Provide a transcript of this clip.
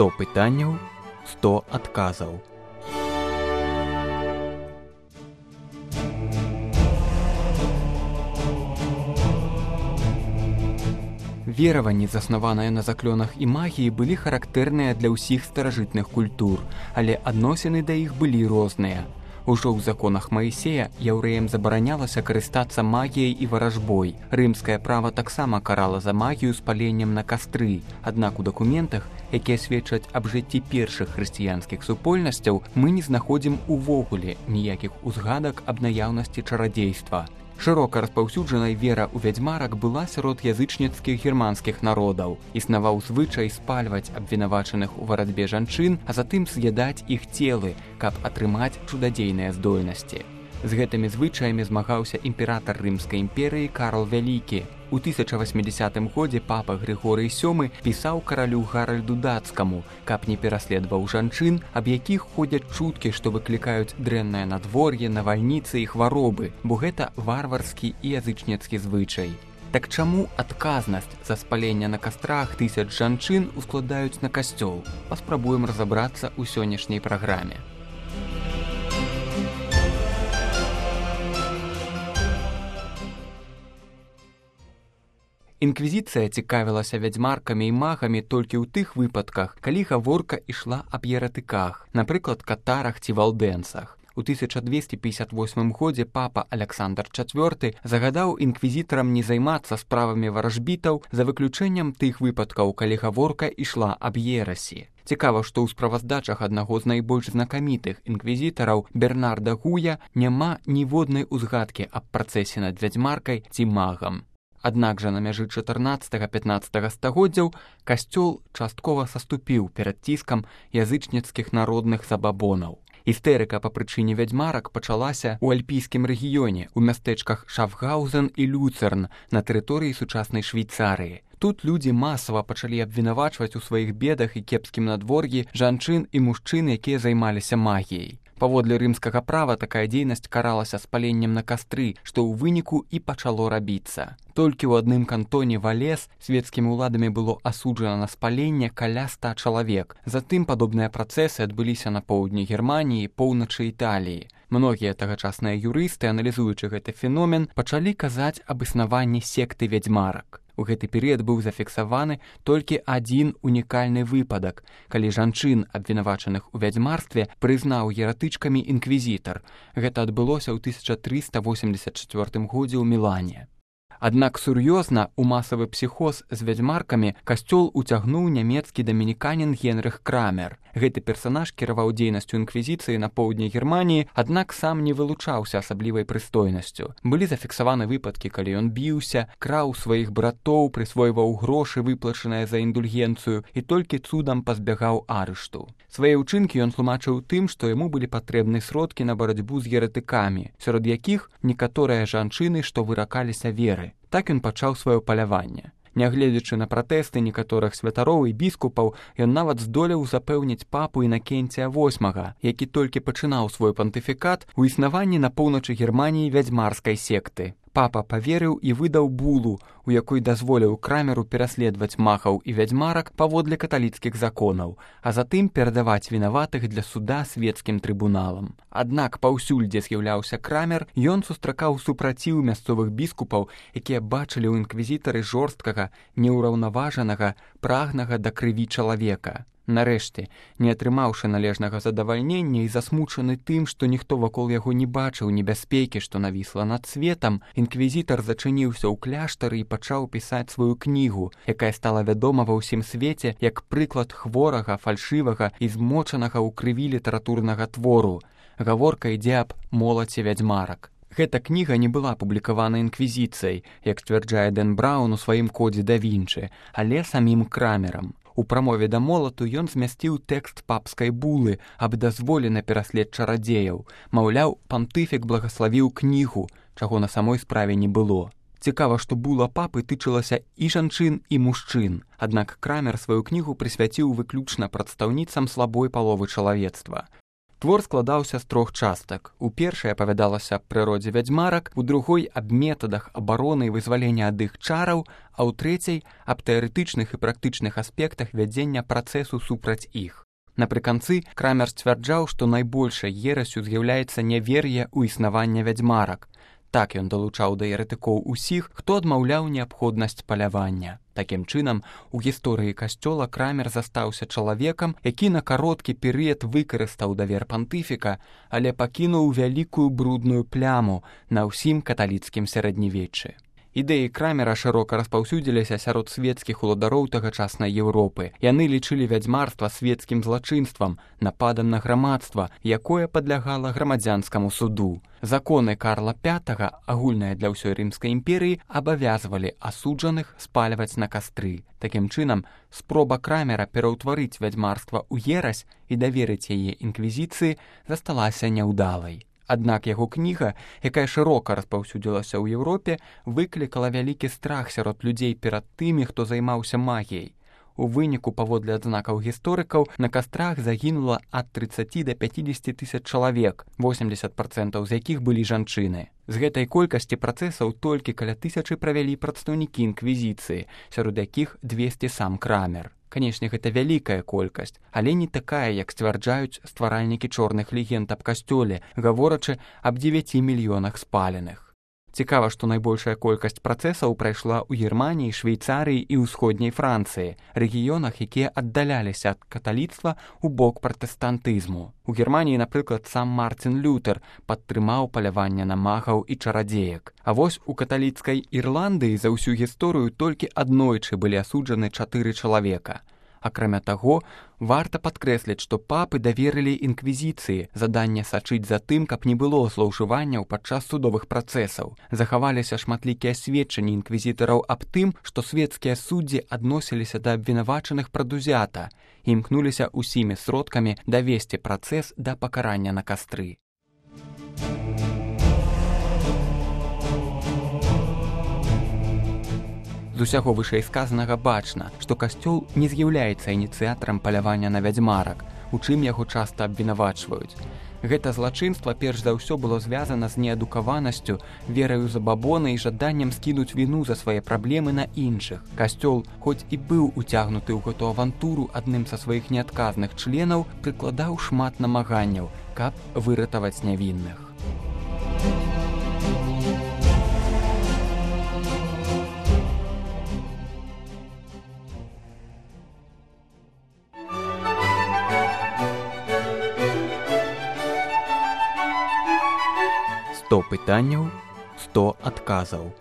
100 пытанняў, 100 адказаў. Вераванні, заснаваныя на заклёнах і магіі, былі характэрныя для ўсіх старажытных культур, але адносіны да іх былі розныя. Ужо ў законах Маісея яўрэям забаранялася карыстацца магіяй і варажбой. Рымскае права таксама карала за магію спаленнем на кастры. Аднак у дакументах, якія сведчаць аб жыцці першых хрысціянскіх супольнасцяў, мы не знаходзім увогуле ніякіх узгадак аб наяўнасці чарадзейства. Шырока распаўсюджанай вера ў вядзьмарак была сярод язычніцкіх германскіх народаў. Існаваў звычай спальваць абвінавачаных у варатбе жанчын, а затым з'ядаць іх целы, каб атрымаць чудадзейныя здольнасці. З гэтымі звычаямі змагаўся імператар Рымскай імперыі Карл Вялікі. У 1080 годзе папа Грыгорый VII пісаў каралю Гаральду Дацкаму, каб не пераследаваў жанчын, аб якіх ходзяць чуткі, што выклікаюць дрэннае надвор'е, навальніцы і хваробы, бо гэта варварскі і язычніцкі звычай. Так чаму адказнасць за спаленне на кастрах тысяч жанчын ускладаюць на касцёл? Паспрабуем разабрацца ў сённяшняй праграме. Інквізіцыя цікавілася вядзьмаркамі і магамі толькі ў тых выпадках, калі гаворка ішла аб еретыках, напрыклад, катарах ці валдэнцах. У 1258 годзе папа Аляксандр IV загадаў інквізітарам не займацца справамі варажбітаў за выключэннем тых выпадкаў, калі гаворка ішла аб ерасі. Цікава, што ў справаздачах аднаго з найбольш знакамітых інквізітараў Бернарда Гуя няма ніводнай узгадкі аб працэсе над вядзьмаркай ці магам. Аднак жа на мяжы 14-15 стагоддзяў касцёл часткова саступіў перад ціскам язычніцкіх народных забабонаў. Істэрыка па прычыне вядзьмарак пачалася ў альпійскім рэгіёне, у мястэчках Шафгаузен і Люцерн на тэрыторыі сучаснай Швейцарыі. Тут людзі масава пачалі абвінавачваць у сваіх бедах і кепскім надвор'і жанчын і мужчын, якія займаліся магіяй. Паводле рымскага права такая дзейнасць каралася спаленнем на кастры, што ў выніку і пачало рабіцца. Толькі ў адным кантоне Валес свецкімі ўладамі было асуджана на спаленне каля 100 чалавек. Затым падобныя працэсы адбыліся на поўдні Германіі, поўначы Італіі. Многія тагачасныя юрысты, аналізуючы гэты феномен, пачалі казаць аб існаванні секты вядзьмарак. У гэты перыяд быў зафіксаваны толькі адзін унікальны выпадак, калі жанчын, абвінавачаных у вядзьмарстве, прызнаў еретычкамі інквізітар. Гэта адбылося ў 1384 годзе ў Мілане. Аднак сур'ёзна ў масавы псіхоз з вядзьмаркамі касцёл уцягнуў нямецкі дамініканін Генрых Крамер. Гэты персанаж кіраваў дзейнасцю інквізіцыі на поўдні Германіі, аднак сам не вылучаўся асаблівай прыстойнасцю. Былі зафіксаваны выпадкі, калі ён біўся, краў сваіх братоў, прысвойваў грошы, выплачаныя за індульгенцыю, і толькі цудам пазбягаў арышту. Свае ўчынкі ён тлумачыў тым, што яму былі патрэбны сродкі на барацьбу з еретыкамі, сярод якіх некаторыя жанчыны, што выракаліся веры. Так ён пачаў сваё паляванне. Нягледзячы на пратэсты некаторых святароў і біскупаў, ён нават здолеў запэўніць папу Інакенція VIII, які толькі пачынаў свой пантыфікат у існаванні на поўначы Германіі вядзьмарскай секты. Папа паверыў і выдаў булу, у якой дазволіў Крамеру пераследаваць магаў і вядзьмарак паводле каталіцкіх законаў, а затым перадаваць вінаватых для суда свецкім трыбуналам. Аднак паўсюль, дзе з'яўляўся Крамер, ён сустракаў супраціў мясцовых біскупаў, якія бачылі ў інквізітары жорсткага, неўраўнаважанага, прагнага да крыві чалавека. Нарэшце, не атрымаўшы належнага задавальнення і засмучаны тым, што ніхто вакол яго не бачыў небяспекі, што навісла над светам, інквізітар зачыніўся ў кляштары і пачаў пісаць сваю кнігу, якая стала вядома ва ўсім свеце як прыклад хворага, фальшывага і змочанага ў крыві літаратурнага твору. Гаворка ідзе аб молаце вядзьмарак. Гэта кніга не была апублікавана інквізіцыяй, як сцвярджае Дэн Браун у сваім кодзе да Вінчы, але самім Крамерам. У прамове да молату ён змясціў тэкст папскай булы аб дазволе на пераслед чарадзеяў. Маўляў, пантыфік благаславіў кнігу, чаго на самой справе не было. Цікава, што була папы тычылася і жанчын, і мужчын. Аднак Крамер сваю кнігу прысвяціў выключна прадстаўніцам слабой паловы чалавецтва. Твор складаўся з 3 частак. У першай апавядалася аб прыродзе вядзьмарак, у другой аб метадах абароны і вызвалення ад іх чараў, а ў трэцяй аб тэарэтычных і практычных аспектах вядзення працэсу супраць іх. Напрыканцы Крамер сцвярджаў, што найбольшай ерасю з'яўляецца нявер'е ў існаванне вядзьмарак. Так ён далучаў да еретыкоў усіх, хто адмаўляў неабходнасць палявання. Такім чынам, у гісторыі касцёла Крамер застаўся чалавекам, які на кароткі перыяд выкарыстаў давер пантыфіка, але пакінуў вялікую брудную пляму на ўсім каталіцкім сярэднявеччы. Ідэі Крамера шырока распаўсюдзіліся сярод свецкіх уладароў тагачаснай Еўропы. Яны лічылі вядзьмарства свецкім злачынствам, нападам на грамадства, якое падлягала грамадзянскаму суду. Законы Карла V, агульныя для ўсёй Рымскай імперыі, абавязвалі асуджаных спальваць на кастры. Такім чынам, спроба Крамера пераўтварыць вядзьмарства ў ерась і даверыць яе інквізіцыі засталася няўдалай. Аднак яго кніга, якая шырока распаўсюдзілася ў Еўропе, выклікала вялікі страх сярод людзей перад тымі, хто займаўся магіяй. У выніку, паводле адзнакаў гісторыкаў, на кастрах загінула ад 30 да 50 тысяч чалавек, 80% з якіх былі жанчыны. З гэтай колькасці працэсаў толькі каля 1000 правялі прадстаўнікі інквізіцыі, сярод якіх 200 сам Крамер. Канешне, гэта вялікая колькасць, але не такая, як сцвярджаюць стваральнікі чорных легенд аб касцёле, гаворачы аб 9 мільёнах спаленых. Цікава, што найбольшая колькасць працэсаў прайшла ў Германіі, Швейцарыі і ўсходняй Францыі, рэгіёнах, якія аддаляліся ад каталіцтва ў бок пратэстантызму. У Германіі, напрыклад, сам Мартин Лютер падтрымаў паляванне на магаў і чарадзеек. А вось у каталіцкай Ірландыі за ўсю гісторыю толькі аднойчы былі асуджаны 4 чалавека. Акрамя таго, варта падкрэсліць, што папы даверылі інквізіцыі заданне сачыць за тым, каб не было злоўжыванняў падчас судовых працэсаў. Захаваліся шматлікія сведчанні інквізітараў аб тым, што свецкія суддзі адносіліся да абвінавачаных прадузята і імкнуліся усімі сродкамі давесці працэс да пакарання на кастры. З усяго вышэйсказанага бачна, што касцёл не з'яўляецца ініцыятарам палявання на вядзьмарак, у чым яго часта абвінавачваюць. Гэта злачынства перш за ўсё было звязана з неадукаванасцю, вераю ў забабоны і жаданнем скінуць віну за свае праблемы на іншых. Касцёл, хоць і быў уцягнуты ў гэту авантуру адным са сваіх неадказных членаў, прыкладаў шмат намаганняў, каб выратаваць нявінных. «100 пытанняў, 100 адказаў».